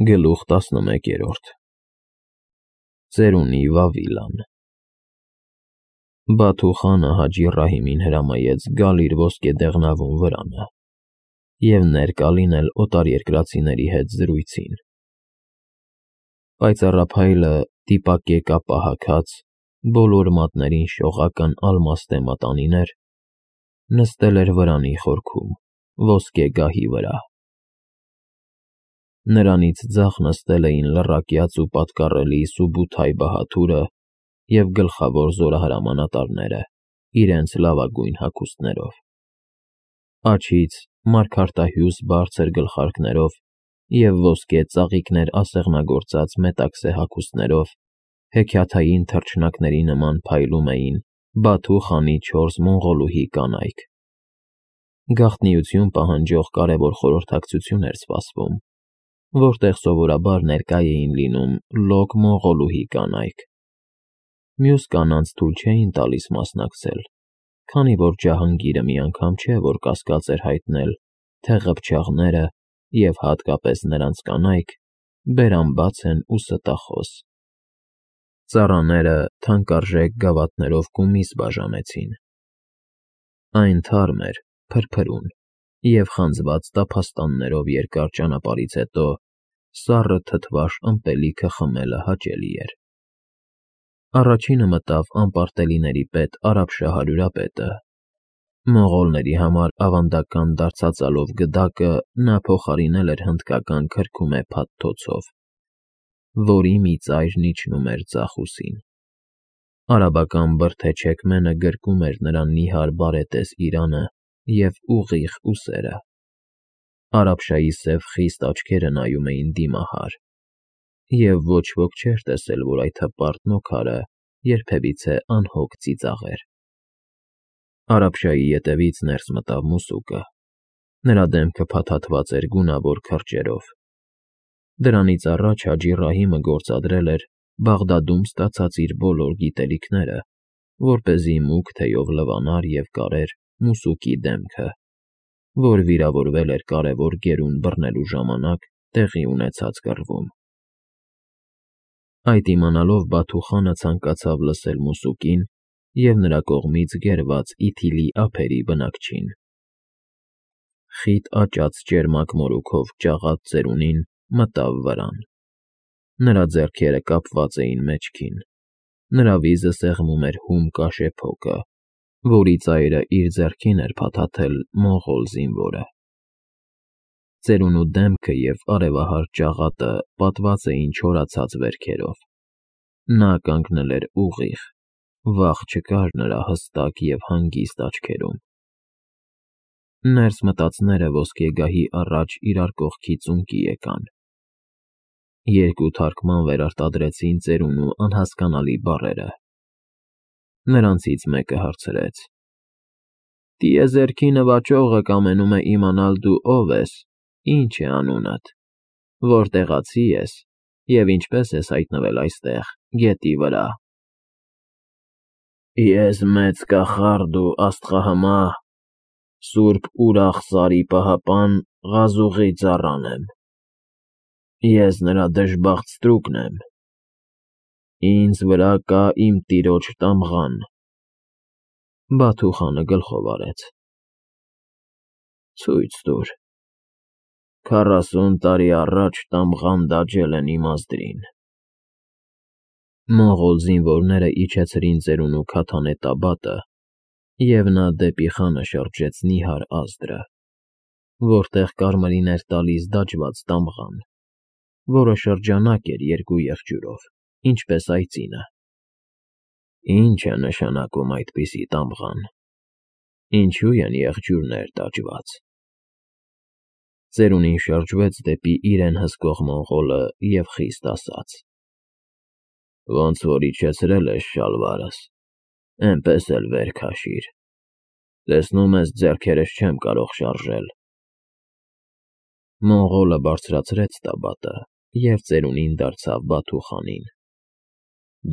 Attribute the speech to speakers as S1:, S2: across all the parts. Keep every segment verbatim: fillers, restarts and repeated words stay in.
S1: Գլուխ տասնմեկերորդ Ծերունի Վավիլան Բաթու խանը Հաջի Ռահիմին հրամայեց գալ իր ոսկե դեղնավուն վրանը և ներկա լինել օտարերկրացիների հետ զրույցին։ Պայծառափայլը դիպակեկապ հագած, բոլոր մատներին շողական ալմաստե մատանիներ, նստել էր վրանի խորքում, ոսկե գահի վրա։ Նրանից ձախ նստել էին լռակյաց ու պատկառելի Սուբութայ Բահաթուրը և գլխավոր զորահրամանատարները իրենց լավագույն հագուստներով, աջից մարգարտահյուս բարձր գլխարկներով և ոսկե ծաղիկներ ասեղնագործած մետաքսե հագուստներով հեքիաթային թռչնակների նման փայլում էին Բաթու խանի չորս մոնղոլուհի կանայք։ Գաղտնիություն պահանջող կարևոր խորհրդակցություն էր սպասվում, որտեղ սովորաբար ներկա էին լինում լոկ մոնղոլուհի կանայք։ Մյուս կանանց թույլ չէին տալիս մասնակցել, քանի որ Ջահանգիրը մի անգամ չէ, որ կասկած էր հայտնել, թե ղփչաղները և հատկապես նրանց կանայք բերամբաց են ու ստախոս։ Ծառաները թանկարժեք գավաթներով կումիս բաժանեցին։ Այն թարմ էր, փրփրուն և խանձված տափաստաններով երկար ճանապարհից հետո սառը թթվաշ ըմպելիքը խմելը հաճելի էր։ Առաջինը մտավ անպարտելիների պետ Արաբշահ հարյուրապետը։ Մոնղոլների համար ավանդական դարձածալով գդակը նա փոխարինել էր հնդկական քրքումե փաթթոցով, որի մի ծայրն իջնում էր ձախ ուսին։ Արաբական բրդե չեքմենը գրկում էր նրա նիհար բարետես իրանը և ուղիղ ուսերը։ Արաբշայի սև խիստ աչքերը նայում էին դիմահար, և ոչ ոք չէր տեսել, որ այդ հպարտ նոքարը երբևիցե անհոգ ծիծաղեր։ Արաբշայի ետևից ներս մտավ մուսուկը։ Նրա դեմքը փաթաթված էր գունավոր քրջերով։ Դրանից առաջ Հաջի Ռահիմը գործադրել էր Բաղդադում ստացած իր բոլոր գիտելիքները, որպեսզի մուգ թեյով լվանար և կարեր մուսուկի դեմքը, որ վիրավորվել էր կարևոր գերուն բռնելու ժամանակ տեղի ունեցած կռվում։ Այդ իմանալով Բաթու խանը ցանկացավ լսել մուսուկին և նրա կողմից գերված Իթիլի ափերի բնակչին։ Խիտ աճած ճերմակ մորուքով ճաղած ծերունին մտավ վրան։ Նրա ձեռքերը կապված էին մեջքին, նրա վիզը սեղմում էր հում կաշե փոկը, որի ծայրը իր ձեռքին էր փաթաթել մոնղոլ զինվորը։ Ծերունու դեմքը և արևահար ճաղատը պատված էին չորացած վերքերով։ Նա կանգնել էր ուղիղ, վախ չկար նրա հստակ և հանգիստ աչքերում։ Ներս մտածները ոսկե գահի առաջ իրար կողքի ծունկի եկան։ Երկու թարգման վերարտադրեցին ծերունու անհասկանալի բառերը։ Նրանցից մեկը հարցրեց. «Տիեզերքի նվաճողը կամենում է իմանալ դու ով ես, ինչ է անունդ, որտեղացի ես և ինչպես ես հայտնվել այստեղ, գետի վրա»։ «Ես մեծ կախարդ ու աստղահմահ, սուրբ Ուրախ֊Սարի պահապան Ղազուղի ծառան եմ։ Ես նրա դժբախտ ստրուկն եմ։ Ինձ վրա կա իմ տիրոջ տամղան»։ Բաթու խանը գլխով արեց. «Ցույց տուր»։ Քառասուն տարի առաջ տամղան դաջել են իմազդրին։ Մոնղոլ զինվորները իջեցրին ծերունու քաթանե տաբատը, և նա դեպի խանը շրջեց նիհար ազդրը, որտեղ կարմիրին էր տալիս դաջված տամղան, որը շրջանակ էր երկու եղջյուրով, ինչպես այծինը։ Ի՞նչ է նշանակում այդպիսի տամղան, ինչու են եղջյուրներ դաջված։ Ծերունին շրջվեց դեպի իրեն հսկող մոնղոլը և խիստ ասաց. «Ոնց որ իջեցրել ես շալվարս, էնպես էլ վեր քաշիր, տեսնում ես ձեռքերս չեմ կարող շարժել»։ Մոնղոլը բարձրացրեց տաբատը և ծերունին դարձավ Բաթու խանին.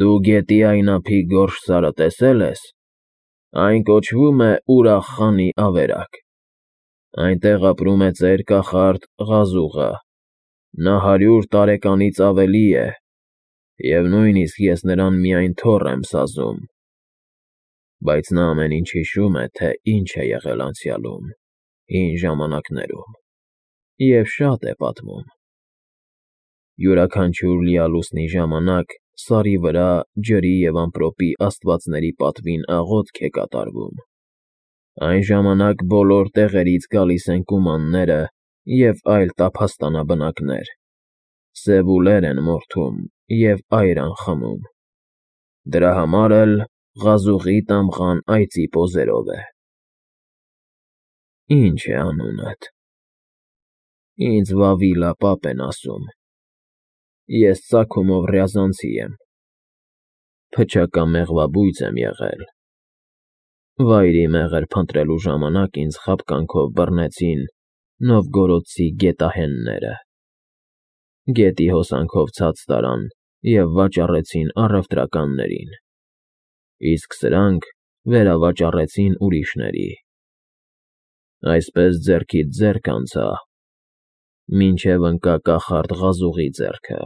S1: «Դու գետի այն ափի գորշ սարը տեսե՞լ ես։ Այն կոչվում է Ուրախ խանի ավերակ։ Այնտեղ ապրում է ծեր կախարդ Ղազուղը, Նա հարյուր տարեկանից ավելի է, և նույնիսկ ես նրան միայն թոռ եմ սազում, բայց նա ամեն ինչ հիշում է, թե ինչ է եղել անցյալում, հին ժամանակներում, և շատ է պատմում։ Յուրաքանչյուր լիալուսնի ժամանակ սարի վրա ջրի և ամպրոպի աստվածների պատվին աղոթք է կատարվում։ Այն ժամանակ բոլոր տեղերից գալիս են կումանները և այլ տափաստանաբնակներ, սևուլեր են մորթում և այրան խմում, դրա համար էլ Ղազուղի տամղան այծի պոզերով է։ ֊ Ի՞նչ է անունդ։ ֊ Ինձ Վավիլա պապ են ասում, ես ծագումով Ռյազանցի եմ, փչակամեղվաբույծ եմ եղել, վայրի մեղր փնտրելու ժամանակ ինձ խաբկանքով բռնեցին նովգորոդցի գետահենները, գետի հոսանքով ցած տարան և վաճառեցին առևտրականներին, իսկ սրանք վերավաճառեցին ուրիշների, այսպես ձեռքից ձեռք անցա, մինչև ընկա կախարդ Ղազուղի ձեռքը։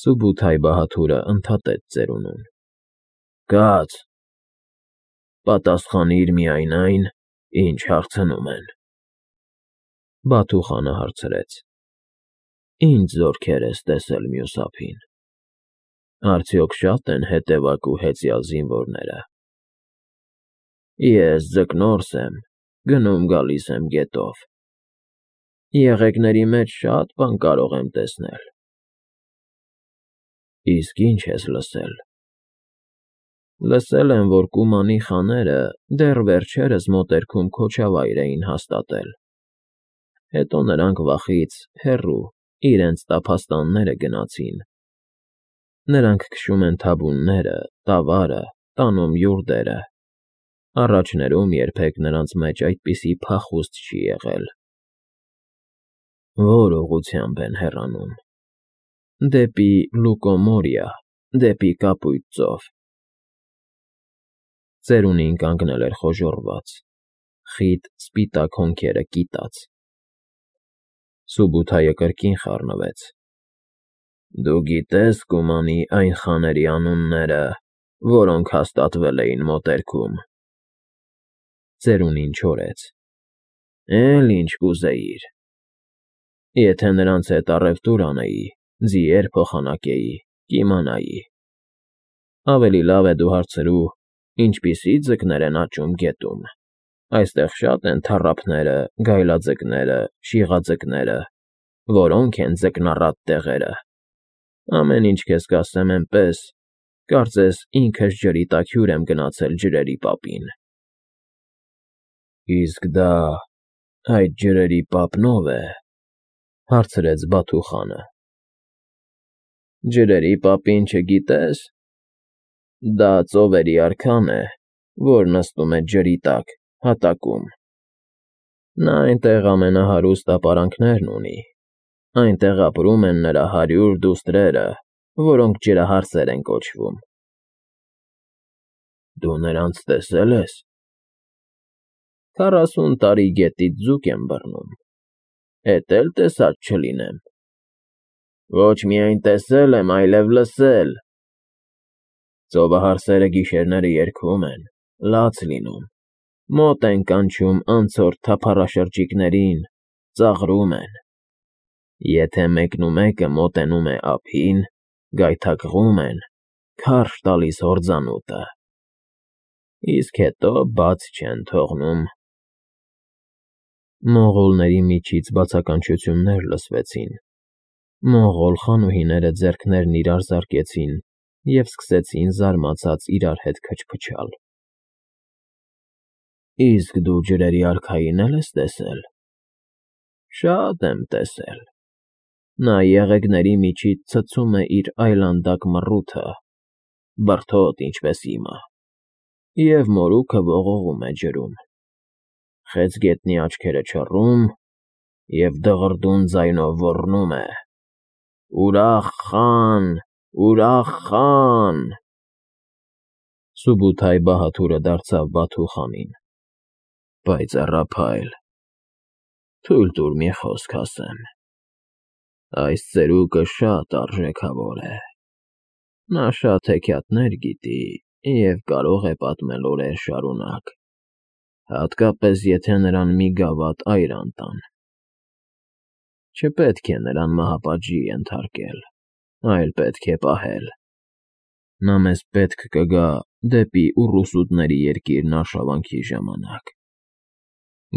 S1: Սուբութայ-Բահադուրը ընդհատեց ծերունուն. Կաց, պատասխանիր միայն այն, ինչ հարցնում են։ Բաթուխանը հարցրեց. Ի՞նչ զորքեր ես տեսել մյուս ափին։ Արդյոք շա՞տ են հետևակ ու հեծյալ զինվորները։ Ես ձկնորս եմ, գնում֊գալիս եմ գետով, եղեգների մեջ շատ բան կարող եմ տեսնել։ Իսկ ի՞նչ ես լսել։ Լսել եմ, որ կումանի խաները դեռ վերջերս մոտերքում Քոչավայր էին հաստատել, հետո նրանք վախից հեռու իրենց տափաստանները գնացին, նրանք քշում են թաբուները, տավարը, տանում յուրդերը, առաջներում երբեք նրանց մեջ այդպիսի փախուստ չի եղել։ Ո՞ր ուղղությամբ են հեռանում։ Դեպի Լուկոմորիա, դեպի Կապույտ ծով։ Ծերունին կանգնել էր խոժոռված, խիտ սպիտակ հոնքերը կիտած։ Սուբութայը կրկին խառնվեց. Դու գիտե՞ս կումանի այն խաների անունները, որոնք հաստատվել էին մոտերքում։ Ծերունին չորեց. Էլ ինչ կուզեիր։ Եթե նրանց հետ առևտուր անեի, ձիեր փոխանակեի, կիմանայի։ Ավելի լավ է դու հարցրու, ինչպիսի ձկներ են աճում գետում։ Այստեղ շատ են թառափները, գայլաձկները, շիղաձկները, որոնք են ձկնառատ տեղերը։ Ամեն ինչ քեզ կասեմ էնպես, կարծես ինքս ջրի տակ հյուր եմ գնացել ջրերի պապին։ Իսկ դա այդ ջրերի պապն ո՞վ է, հարցրեց Բաթուխանը։ Ջրերի պապին չգիտե՞ս։ Դա ծովերի արքան է, որ նստում է ջրի տակ, հատակում։ Նա այնտեղ ամենահարուստ ապարանքներն ունի, այնտեղ ապրում են նրա հարյուր դուստրերը, որոնք ջրահարսեր են կոչվում։ Դու նրանց տեսե՞լ ես։ Քառասուն տարի գետից ձուկ եմ բռնում, էդ էլ տեսած չլինեմ։ Ոչ միայն տեսել եմ, այլև լսել։ Ծովահարսերը գիշերները երգում են, լաց լինում, մոտ են կանչում անցորդ թափառաշրջիկներին, ծաղրում են։ Եթե մեկնումեկը մոտենում է ափին, գայթակղում են, քարշ տալիս հորձանուտը, իսկ հետո բաց չեն թողնում։ Մոնղոլների միջից բացականչություններ լսվեցին։ Մոնղոլ խանուհիները ձեռքներն իրար զարկեցին և սկսեցին զարմացած իրար հետ քչփչալ։ Իսկ դու ջրերի արքային է՞լ ես տեսել։ Շատ եմ տեսել։ Նա եղեգների միջից ցցում է իր այլանդակ մռութը, բրդոտ, ինչպես հիմա, և մորուքը ողողում է ջրում։ Խեցգետնի աչքերը չռում և դղրդուն ձայնով ոռնում է. «Ուրախ֊խան, Ուրախ֊խան»։ Սուբութայ-Բահադուրը դարձավ Բաթուխանին. Պայծառափայլ, թույլ տուր մի խոսք ասեմ։ Այս ծերուկը շատ արժեքավոր է։ Նա շատ հեքիաթներ գիտի և կարող է պատմել օրեր շարունակ, հատկապես եթե նրան մի գավաթ այրան տան։ Չպետք է նրան մահապատժի ենթարկել, այլ պետք է պահել։ Նա մեզ պետք կգա դեպի ուռուսուտների երկիրն արշավանքի ժամանակ։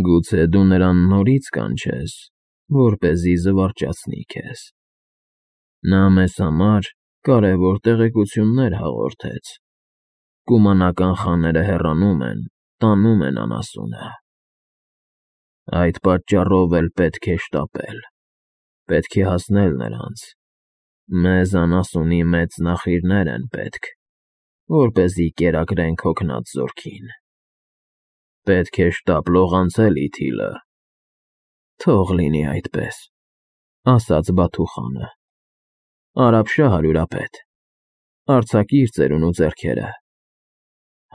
S1: Գուցե դու նրան նորից կանչես, որպեսզի զվարճացնի քեզ։ Նա մեզ համար կարևոր տեղեկություններ հաղորդեց։ Կումանական խաները հեռանում են, տանում են անասունը։ Այդ պատճառով էլ պետք է շտապել, պետք է հասնել նրանց։ Մեզ անասունի մեծ նախիրներ են պետք, որպեսզի կերակրենք հոգնած զորքին։ Պետք է շտապ լողանցել ի թիլը։ Թող լինի այդպես, ասաց Բաթուխանը։ Արաբշա հարյուրապետ, արձակիր ծերունու ձեռքերը,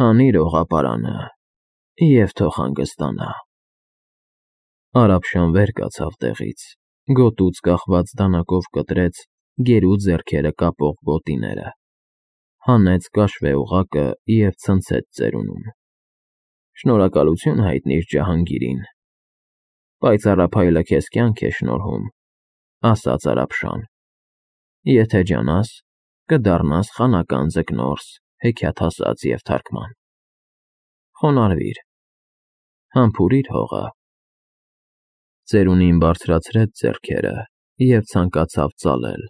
S1: հանիր օղապարանը և թող հանգստանա։ Արաբշան վեր կացավ տեղից, գոտուց կախված դանակով կտրեց գերու ձեռքերը կապող գոտիները, հանեց կաշվե օղակը և ցնցեց ծերունուն։ Շնորհակալություն հայտնիր Ջահանգիրին։ Պայծառափայլը քեզ կյանք է շնորհում, ասաց Արաբշան։ Եթե ջանաս, կդառնաս խանական ձկնորս, հեքիաթասաց և թարգման։ Խոնարհվիր, համբուրիր հողը։ Ծերունին բարձրացրեց ձեռքերը և ցանկացավ ծալել,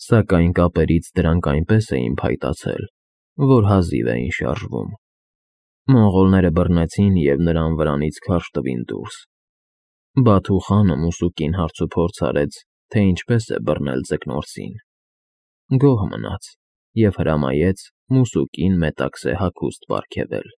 S1: սակայն կապերից դրանք այնպես էին փայտացել, որ հազիվ էին շարժվում։ Մոնղոլները բռնեցին և նրան վրանից քարշ տվին դուրս։ Բաթուխանը մուսուկին հարցուփորձ արեց, թե ինչպես է բռնել ձկնորսին։ Գոհ մնաց և հրամայեց մուսուկին մետաքսե հագուստ պարգևել։